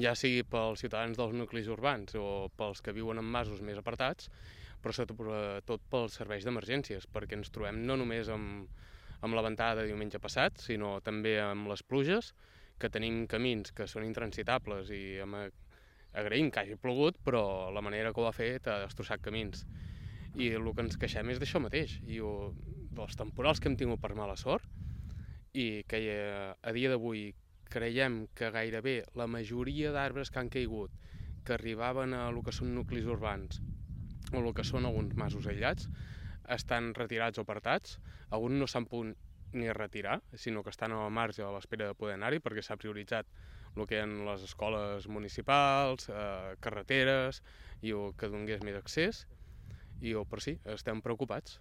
ja sigui pels ciutadans dels nuclis urbans o pels que viuen en masos més apartats, però sobretot pels serveis d'emergències, perquè ens trobem no només amb la ventada de diumenge passat, sinó també amb les pluges, que tenim camins que són intransitables i agraïm que hagi plogut, però la manera que ho ha fet ha destrossat camins. I el que ens queixem és d'això mateix, dels temporals que hem tingut per mala sort, i que a dia d'avui creiem que gairebé la majoria d'arbres que han caigut, que arribaven a el que són nuclis urbans o el que són alguns masos aïllats, estan retirats o apartats. Alguns no s'han pogut ni retirar, sinó que estan al marge a l'espera de poder anar-hi, perquè s'ha prioritzat el que eren les escoles municipals, carreteres, i que donés més accés, però sí, estem preocupats.